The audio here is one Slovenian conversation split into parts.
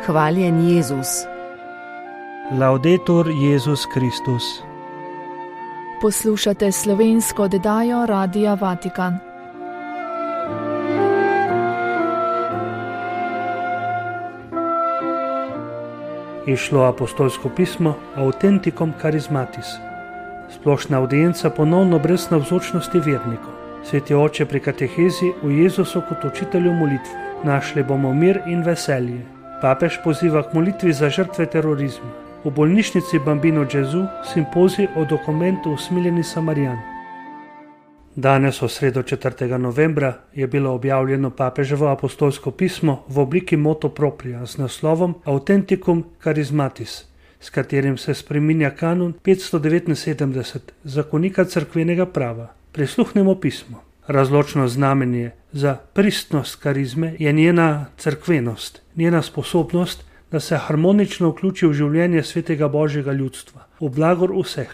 Hvaljen Jezus. Laudetur Jezus Kristus. Poslušate slovensko oddajo Radia Vatikan. Išlo apostolsko pismo Authenticum Charismatis. Splošna audienca ponovno brez navzočnosti vernikov. Sveti oče pri katehezi v Jezusu kot učitelju molitve. Našli bomo mir in veselje. Papež poziva k molitvi za žrtve terorizma. V bolnišnici Bambino Gesù simpozij o dokumentu Usmiljeni Samarijan. Danes, v sredo 4. novembra, je bilo objavljeno papeževo apostolsko pismo v obliki motu propria z naslovom Authenticum Charismatis, s katerim se spreminja kanon 579 zakonika cerkvenega prava. Prisluhnemo pismo. Razločno znamenje za pristnost karizme je njena cerkvenost, njena sposobnost, da se harmonično vključi v življenje svetega Božjega ljudstva, v blagor vseh.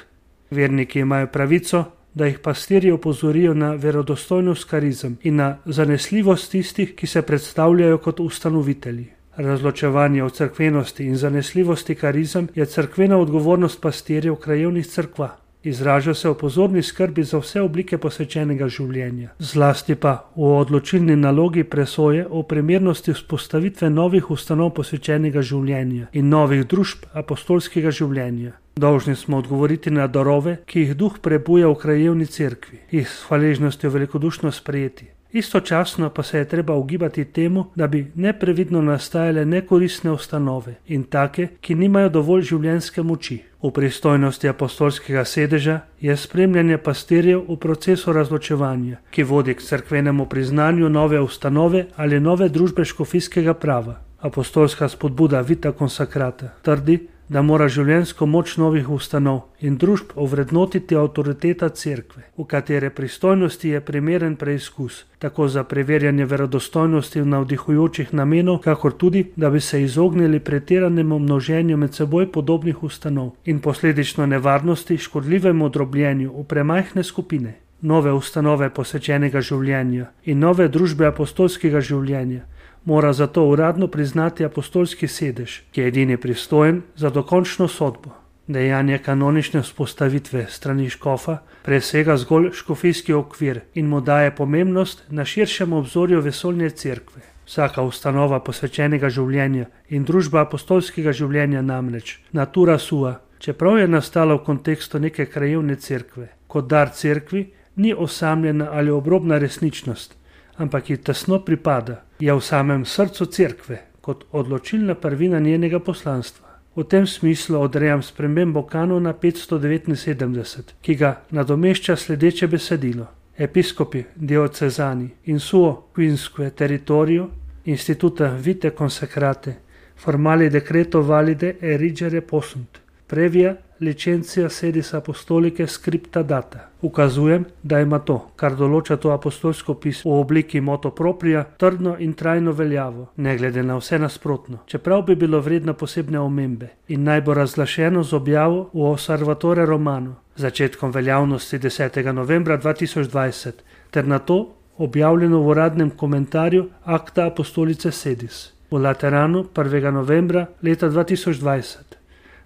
Verniki imajo pravico, da jih pastirji opozorijo na verodostojnost karizem in na zanesljivost tistih, ki se predstavljajo kot ustanovitelji. Razločevanje o cerkvenosti in zanesljivosti karizem je cerkvena odgovornost pastirjev krajevnih cerkva. Izraža se v pozorni skrbi za vse oblike posvečenega življenja, zlasti pa v odločilni nalogi presoje o primernosti vzpostavitve novih ustanov posvečenega življenja in novih družb apostolskega življenja. Dolžni smo odgovoriti na darove, ki jih duh prebuja v krajevni cerkvi, jih s hvaležnostjo velikodušno sprejeti. Istočasno pa se je treba ugibati temu, da bi neprevidno nastajale nekoristne ustanove in take, ki nimajo dovolj življenjske moči. V pristojnosti apostolskega sedeža je spremljanje pastirjev v procesu razločevanja, ki vodi k cerkvenemu priznanju nove ustanove ali nove družbe škofijskega prava. Apostolska spodbuda Vita Consacrata trdi, da mora življenjsko moč novih ustanov in družb ovrednotiti avtoriteta cerkve, v katere pristojnosti je primeren preizkus, tako za preverjanje verodostojnosti v navdihujočih namenov, kakor tudi, da bi se izognili pretiranemu množenju med seboj podobnih ustanov in posledično nevarnosti škodljivemu drobljenju v premajhne skupine. Nove ustanove posvečenega življenja in nove družbe apostolskega življenja mora zato uradno priznati apostolski sedež, ki je edini pristojen za dokončno sodbo. Dejanje kanonične vzpostavitve strani škofa presega zgolj škofijski okvir in mu daje pomembnost na širšem obzorju vesoljne cerkve. Vsaka ustanova posvečenega življenja in družba apostolskega življenja namreč, natura sua, čeprav je nastala v kontekstu neke krajevne cerkve, kot dar cerkvi, ni osamljena ali obrobna resničnost, ampak ji tesno pripada, je v samem srcu cerkve, kot odločilna prvina njenega poslanstva. V tem smislu odrejam spremembo kanona 579, ki ga nadomešča sledeče besedilo. Episkopi diocezani in suo quinque territorio instituta vite consacrate formali decreto valide erigere possunt. Previa licentia sedis apostolicae scripta data. Ukazujem, da ima to, kar določa to apostolsko pismo v obliki motu propria, trdno in trajno veljavo, ne glede na vse nasprotno, čeprav bi bilo vredno posebne omembe in naj bo razglašeno z objavo v Osservatore Romano, začetkom veljavnosti 10. novembra 2020, ter na to objavljeno v uradnem komentarju Acta Apostolicae Sedis v Lateranu 1. novembra leta 2020.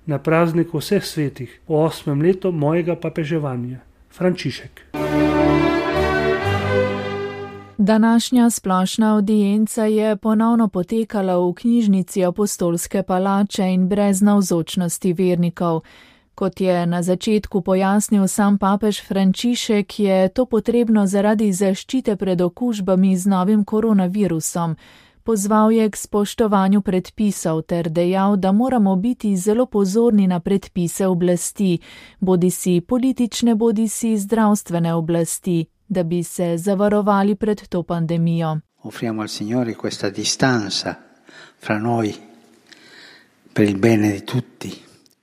Na prazniku vseh svetih, v 8. letu mojega papeževanja. Frančišek. Današnja splošna audienca je ponovno potekala v knjižnici Apostolske palače in brez navzočnosti vernikov. Kot je na začetku pojasnil sam papež Frančišek, je to potrebno zaradi zaščite pred okužbami z novim koronavirusom. Pozval je k spoštovanju predpisov ter dejal, da moramo biti zelo pozorni na predpise oblasti, bodisi politične, bodisi zdravstvene oblasti, da bi se zavarovali pred to pandemijo. Offriamo al Signore questa distanza fra noi per il bene di tutti.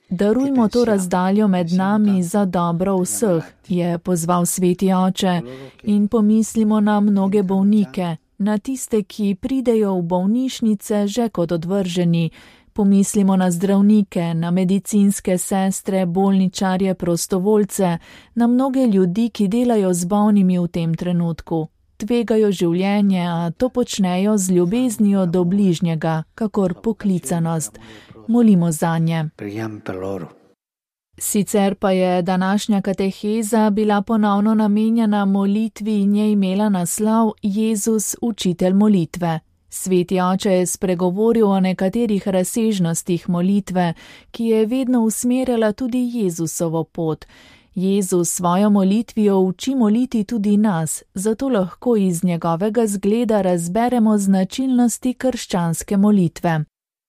Darujmo to razdaljo med nami za dobro vseh, je pozval sveti oče, in pomislimo na mnoge bolnike, na tiste, ki pridejo v bolnišnice že kot odvrženi. Pomislimo na zdravnike, na medicinske sestre, bolničarje, prostovoljce, na mnoge ljudi, ki delajo z bolnimi v tem trenutku. tvegajo življenje, a to počnejo z ljubeznijo do bližnjega, kakor poklicanost. Molimo zanje. Sicer pa je današnja kateheza bila ponovno namenjena molitvi in je imela naslov Jezus, učitelj molitve. Sveti oče je spregovoril o nekaterih razsežnostih molitve, ki je vedno usmerjala tudi Jezusovo pot. Jezus svojo molitvijo uči moliti tudi nas, zato lahko iz njegovega zgleda razberemo značilnosti krščanske molitve.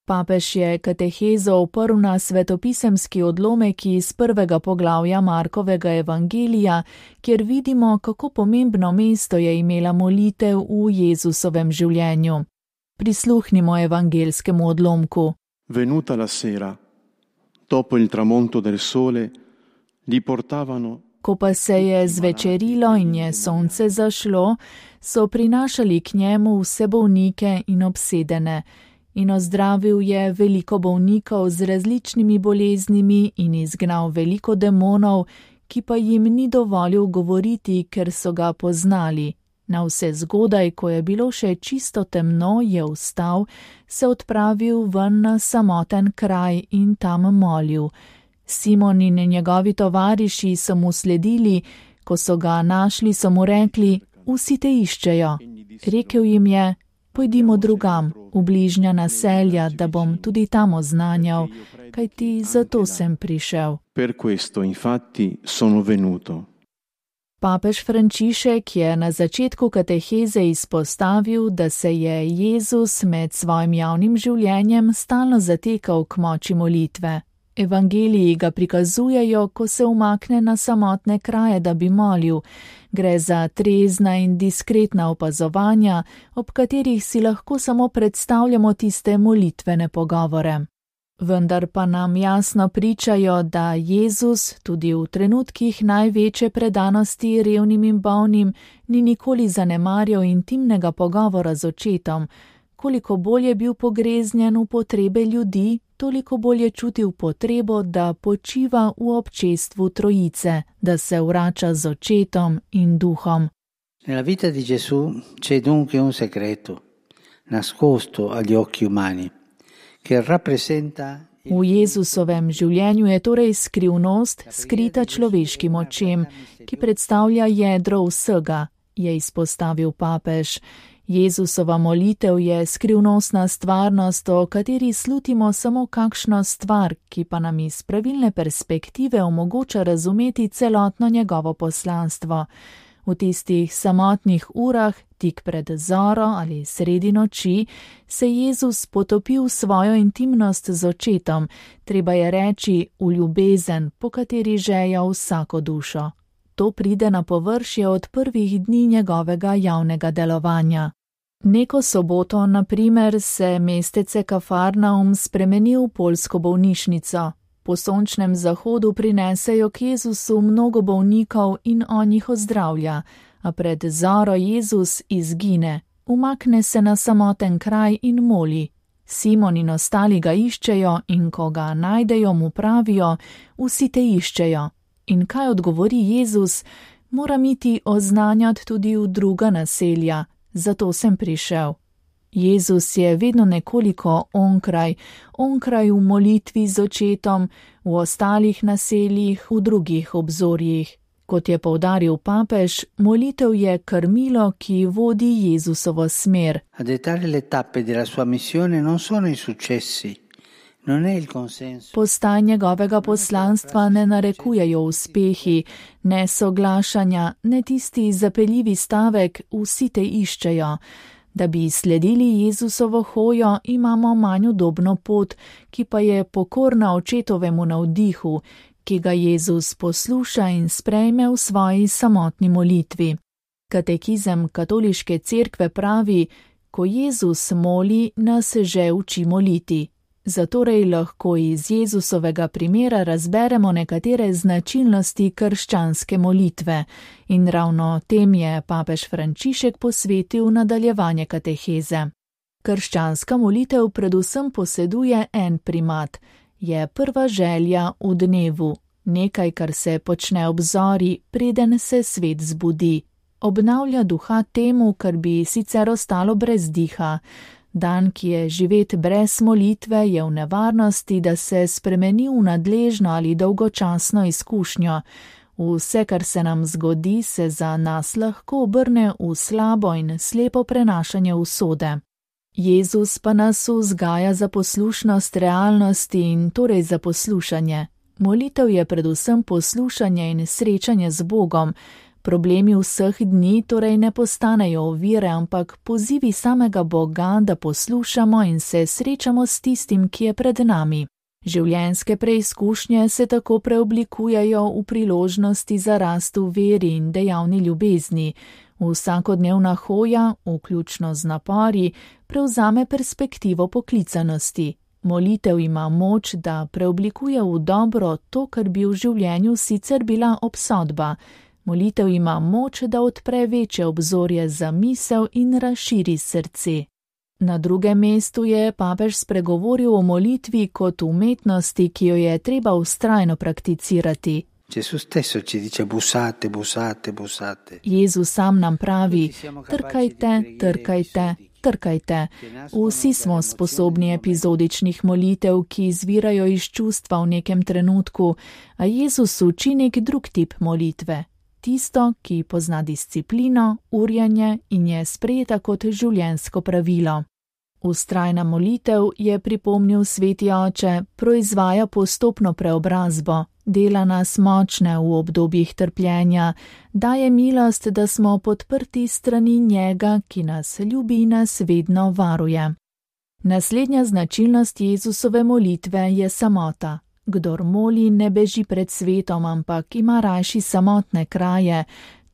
Papež je katehezo oprl na svetopisemski odlomek iz 1. poglavja Markovega evangelija, kjer vidimo, kako pomembno mesto je imela molitev v Jezusovem življenju. Prisluhnimo evangelskemu odlomku. Venuta la sera, dopo il tramonto del sole, li portavano. Ko pa se je zvečerilo in je sonce zašlo, so prinašali k njemu vse bolnike in obsedene. In ozdravil je veliko bolnikov z različnimi boleznimi in izgnal veliko demonov, ki pa jim ni dovolil govoriti, ker so ga poznali. Na vse zgodaj, ko je bilo še čisto temno, je vstal, se odpravil ven na samoten kraj in tam molil. Simon in njegovi tovariši so mu sledili, ko so ga našli, so mu rekli, vsi te iščejo. Rekel jim je, pojdimo drugam, v bližnja naselja, da bom tudi tam oznanjal, kajti zato sem prišel. Per questo infatti sono venuto. Papež Frančišek je na začetku kateheze izpostavil, da se je Jezus med svojim javnim življenjem stalno zatekal k moči molitve. Evangeliji ga prikazujejo, ko se umakne na samotne kraje, da bi molil. Gre za trezna in diskretna opazovanja, ob katerih si lahko samo predstavljamo tiste molitvene pogovore. Vendar pa nam jasno pričajo, da Jezus tudi v trenutkih največje predanosti revnim in bolnim ni nikoli zanemarjal intimnega pogovora z očetom. Koliko bolj je bil pogreznjen v potrebe ljudi, toliko bolj je čutil potrebo, da počiva v občestvu Trojice, da se vrača z očetom in duhom. Nella vita di Gesù c'è dunque un segreto, nascosto agli occhi umani, che rappresenta. V Jezusovem življenju je torej skrivnost, skrita človeškim očem, ki predstavlja jedro vsega, je izpostavil papež. Jezusova molitev je skrivnostna stvarnost, o kateri slutimo samo kakšno stvar, ki pa nam iz pravilne perspektive omogoča razumeti celotno njegovo poslanstvo. V tistih samotnih urah, tik pred zoro ali sredi noči, se Jezus potopi v svojo intimnost z očetom, treba je reči v ljubezen, po kateri žeja vsako dušo. To pride na površje od prvih dni njegovega javnega delovanja. Neko soboto, na primer, se mestece Kafarnaum spremeni v poljsko bolnišnico. Po sončnem zahodu prinesejo k Jezusu mnogo bolnikov in on jih ozdravlja, a pred zoro Jezus izgine, umakne se na samoten kraj in moli. Simon in ostali ga iščejo in ko ga najdejo, mu pravijo, vsi te iščejo. In kaj odgovori Jezus? Moram iti oznanjati tudi v druga naselja, zato sem prišel. Jezus je vedno nekoliko onkraj v molitvi z očetom, v ostalih naseljih, v drugih obzorjih. Kot je poudaril papež, molitev je krmilo, ki vodi Jezusovo smer. A dettare le tappe della sua missione non sono i successi, non è il consenso. Postaj njegovega poslanstva ne narekujejo uspehi, ne soglašanja, ne tisti zapeljivi stavek, vsi te iščejo. Da bi sledili Jezusovo hojo, imamo manj udobno pot, ki pa je pokorna očetovemu navdihu, ki ga Jezus posluša in sprejme v svoji samotni molitvi. Katekizem katoliške cerkve pravi, ko Jezus moli, nas že uči moliti. Zatorej lahko iz Jezusovega primera razberemo nekatere značilnosti krščanske molitve in ravno tem je papež Frančišek posvetil nadaljevanje kateheze. Krščanska molitev predvsem poseduje en primat, je prva želja v dnevu, nekaj, kar se počne ob zori, preden se svet zbudi. obnavlja duha temu, kar bi sicer ostalo brez diha. Dan, ki je živet brez molitve, je v nevarnosti, da se spremeni v nadležno ali dolgočasno izkušnjo. Vse, kar se nam zgodi, se za nas lahko obrne v slabo in slepo prenašanje usode. Jezus pa nas vzgaja za poslušnost realnosti in torej za poslušanje. Molitev je predvsem poslušanje in srečanje z Bogom. Problemi vseh dni torej ne postanejo ovire, ampak pozivi samega Boga, da poslušamo in se srečamo s tistim, ki je pred nami. Življenjske preizkušnje se tako preoblikujejo v priložnosti za rast v veri in dejavni ljubezni. Vsakodnevna hoja, vključno z napori, prevzame perspektivo poklicanosti. Molitev ima moč, da preoblikuje v dobro to, kar bi v življenju sicer bila obsodba. Molitev ima moč, da odpre večje obzorje za misel in razširi srce. Na drugem mestu je papež spregovoril o molitvi kot umetnosti, ki jo je treba vztrajno prakticirati. Jezus sam nam pravi: trkajte, trkajte, trkajte. Vsi smo sposobni epizodičnih molitev, ki izvirajo iz čustva v nekem trenutku, a Jezus uči nek drug tip molitve. Tisto, ki pozna disciplino, urjenje in je sprejeta kot življenjsko pravilo. Vztrajna molitev, je pripomnil sveti oče, proizvaja postopno preobrazbo, dela nas močne v obdobjih trpljenja, daje milost, da smo podprti strani njega, ki nas ljubi in nas vedno varuje. Naslednja značilnost Jezusove molitve je samota. Kdor moli, ne beži pred svetom, ampak ima rajši samotne kraje.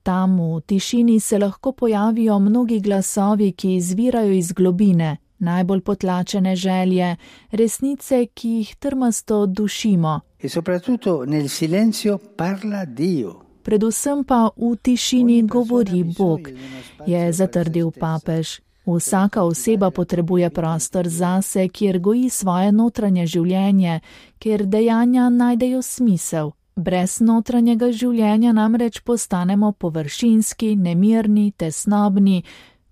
Tam v tišini se lahko pojavijo mnogi glasovi, ki izvirajo iz globine, najbolj potlačene želje, resnice, ki jih trmasto dušimo. Predvsem pa v tišini govori Bog, je zatrdil papež. Vsaka oseba potrebuje prostor zase, kjer goji svoje notranje življenje, kjer dejanja najdejo smisel. Brez notranjega življenja namreč postanemo površinski, nemirni, tesnobni,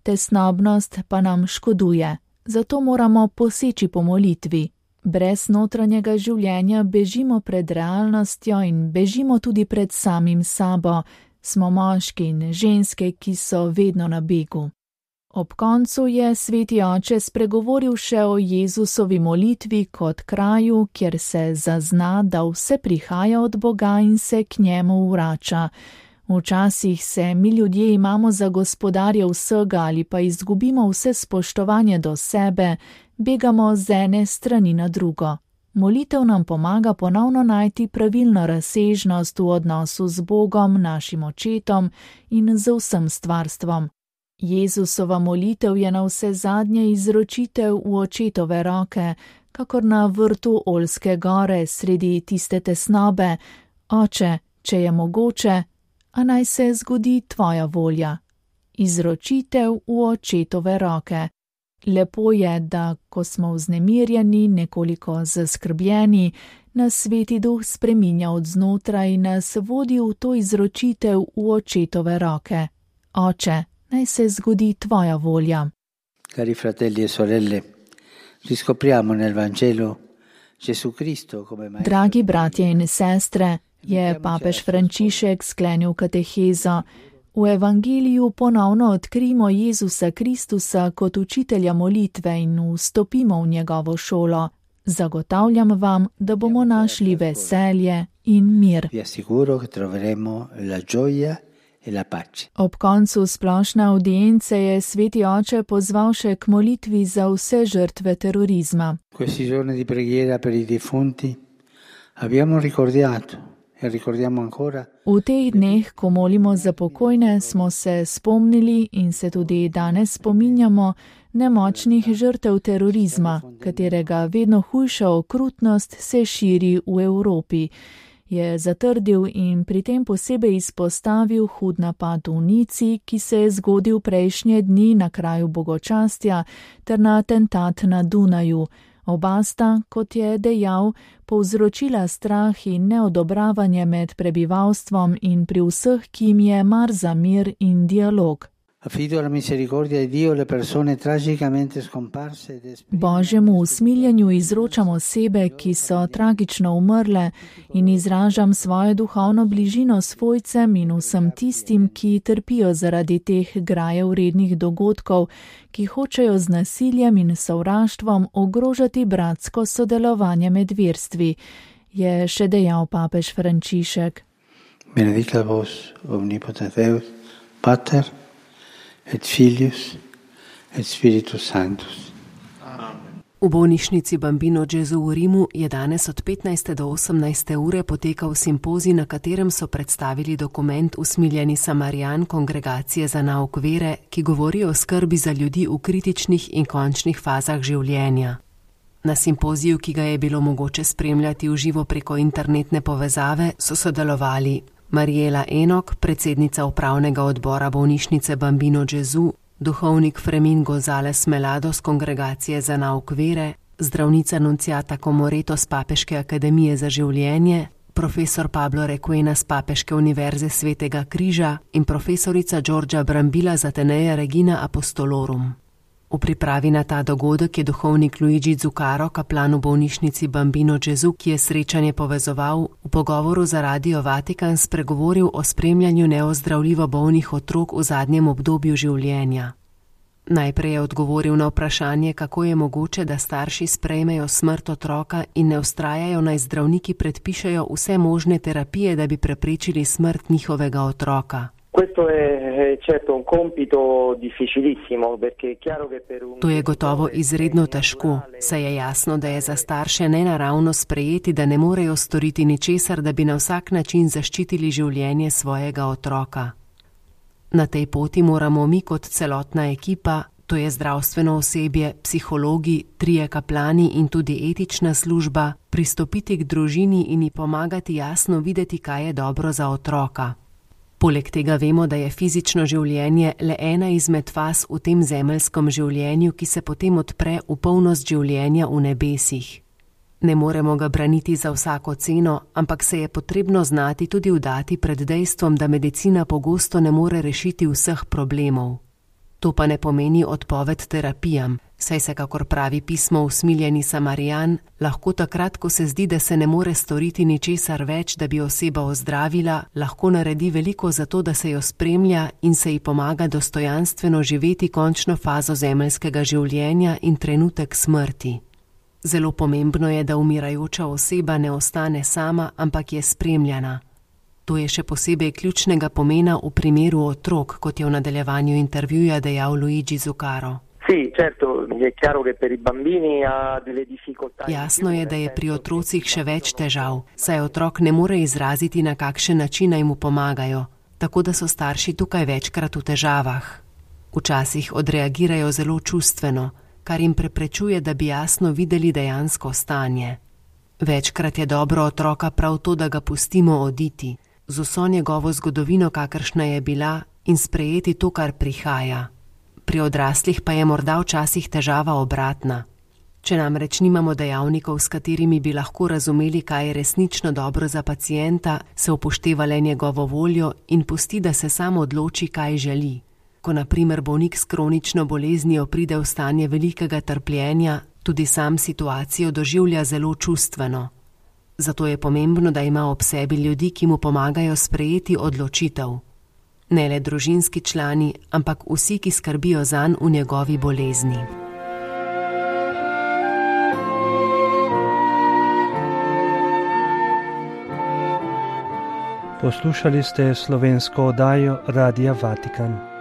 tesnobnost pa nam škoduje. Zato moramo poseči po molitvi. Brez notranjega življenja bežimo pred realnostjo in bežimo tudi pred samim sabo. Smo moški in ženske, ki so vedno na begu. Ob koncu je sveti oče spregovoril še o Jezusovi molitvi kot kraju, kjer se zazna, da vse prihaja od Boga in se k njemu vrača. Včasih se mi ljudje imamo za gospodarje vsega ali pa izgubimo vse spoštovanje do sebe, begamo z ene strani na drugo. Molitev nam pomaga ponovno najti pravilno razsežnost v odnosu z Bogom, našim očetom in z vsem stvarstvom. Jezusova molitev je na vse zadnje izročitev v očetove roke, kakor na vrtu Oljske gore sredi tiste tesnobe. Oče, če je mogoče, a naj se zgodi tvoja volja. Izročitev v očetove roke. Lepo je, da ko smo vznemirjeni, nekoliko zaskrbljeni, nas sveti duh spreminja od znotraj in nas vodi v to izročitev v očetove roke. Oče, naj se zgodi tvoja volja. Cari fratelli e sorelle, riscopriamo nel Vangelo Gesù Cristo come maestro. Dragi bratje in sestre, je papež Frančišek sklenil katehezo. V Evangeliju ponovno odkrijemo Jezusa Kristusa kot učitelja molitve in vstopimo v njegovo šolo. Zagotavljam vam, da bomo našli veselje in mir. Vi assicuro che troveremo la gioia e la pace. Ob koncu splošne audience je sveti oče pozval še k molitvi za vse žrtve terorizma. Questi giorni di preghiera per i defunti abbiamo ricordato e ricordiamo ancora. V teh dneh, ko molimo za pokojne, smo se spomnili in se tudi danes spominjamo nemočnih žrtev terorizma, katerega vedno hujša okrutnost se širi v Evropi. Je zatrdil in pri tem posebej izpostavil hud napad v Nici, ki se je zgodil prejšnje dni na kraju bogočastja, ter na atentat na Dunaju. Oba sta, kot je dejal, povzročila strah in neodobravanje med prebivalstvom in pri vseh, ki jim je mar za mir in dialog. Božjemu usmiljenju izročam osebe, ki so tragično umrle, in izražam svojo duhovno bližino svojcem in vsem tistim, ki trpijo zaradi teh grajevrednih dogodkov, ki hočejo z nasiljem in sovraštvom ogrožati bratsko sodelovanje med verstvi, je še dejal papež Frančišek. Benedicat vos omnipotens Deus, Pater et Filius et Spiritus Sanctus. V bolnišnici Bambino Gesù v Rimu je danes od 15. do 18. ure potekal simpozij, na katerem so predstavili dokument Usmiljeni Samarijan Kongregacije za nauk vere, ki govori o skrbi za ljudi v kritičnih in končnih fazah življenja. Na simpoziju, ki ga je bilo mogoče spremljati v živo preko internetne povezave, so sodelovali Mariela Enok, predsednica upravnega odbora bolnišnice Bambino Gesù, duhovnik Fermín González Melado z Kongregacije za nauk vere, zdravnica Nunciata Comoreto z Papeške akademije za življenje, profesor Pablo Requena z Papeške univerze Svetega križa in profesorica Giorgia Brambilla z Atenea Regina Apostolorum. V pripravi na ta dogodek je duhovnik Luigi Zuccaro, kaplan v bolnišnici Bambino Gesù, ki je srečanje povezoval, v pogovoru za Radio Vatikan spregovoril o spremljanju neozdravljivo bolnih otrok v zadnjem obdobju življenja. Najprej je odgovoril na vprašanje, kako je mogoče, da starši sprejmejo smrt otroka in ne vztrajajo, naj zdravniki predpišejo vse možne terapije, da bi preprečili smrt njihovega otroka. To je gotovo izredno težko, saj je jasno, da je za starše nenaravno sprejeti, da ne morejo storiti ničesar, da bi na vsak način zaščitili življenje svojega otroka. Na tej poti moramo mi kot celotna ekipa, to je zdravstveno osebje, psihologi, trije kaplani in tudi etična služba, pristopiti k družini in ji pomagati jasno videti, kaj je dobro za otroka. Poleg tega vemo, da je fizično življenje le ena izmed faz v tem zemeljskem življenju, ki se potem odpre v polnost življenja v nebesih. Ne moremo ga braniti za vsako ceno, ampak se je potrebno znati tudi vdati pred dejstvom, da medicina pogosto ne more rešiti vseh problemov. To pa ne pomeni odpoved terapijam, saj se, kakor pravi pismo Usmiljeni Samarijan, lahko takrat, ko se zdi, da se ne more storiti ničesar več, da bi oseba ozdravila, lahko naredi veliko za to, da se jo spremlja in se ji pomaga dostojanstveno živeti končno fazo zemeljskega življenja in trenutek smrti. Zelo pomembno je, da umirajoča oseba ne ostane sama, ampak je spremljana. To je še posebej ključnega pomena v primeru otrok, kot je v nadaljevanju intervjuja dejal Luigi Zuccaro. Jasno je, da je pri otrocih še več težav, saj otrok ne more izraziti, na kakšen način naj mu pomagajo, tako da so starši tukaj večkrat v težavah. Včasih odreagirajo zelo čustveno, kar jim preprečuje, da bi jasno videli dejansko stanje. Večkrat je dobro otroka prav to, da ga pustimo oditi, z vso njegovo zgodovino, kakršna je bila, in sprejeti to, kar prihaja. Pri odraslih pa je morda včasih težava obratna. Če namreč nimamo dejavnikov, s katerimi bi lahko razumeli, kaj je resnično dobro za pacienta, se upošteva le njegovo voljo in pusti, da se sam odloči, kaj želi. Ko na primer bolnik s kronično boleznijo pride v stanje velikega trpljenja, tudi sam situacijo doživlja zelo čustveno. Zato je pomembno, da ima ob sebi ljudi, ki mu pomagajo sprejeti odločitev. Ne le družinski člani, ampak vsi, ki skrbijo zanj v njegovi bolezni. Poslušali ste slovensko oddajo Radia Vatikan.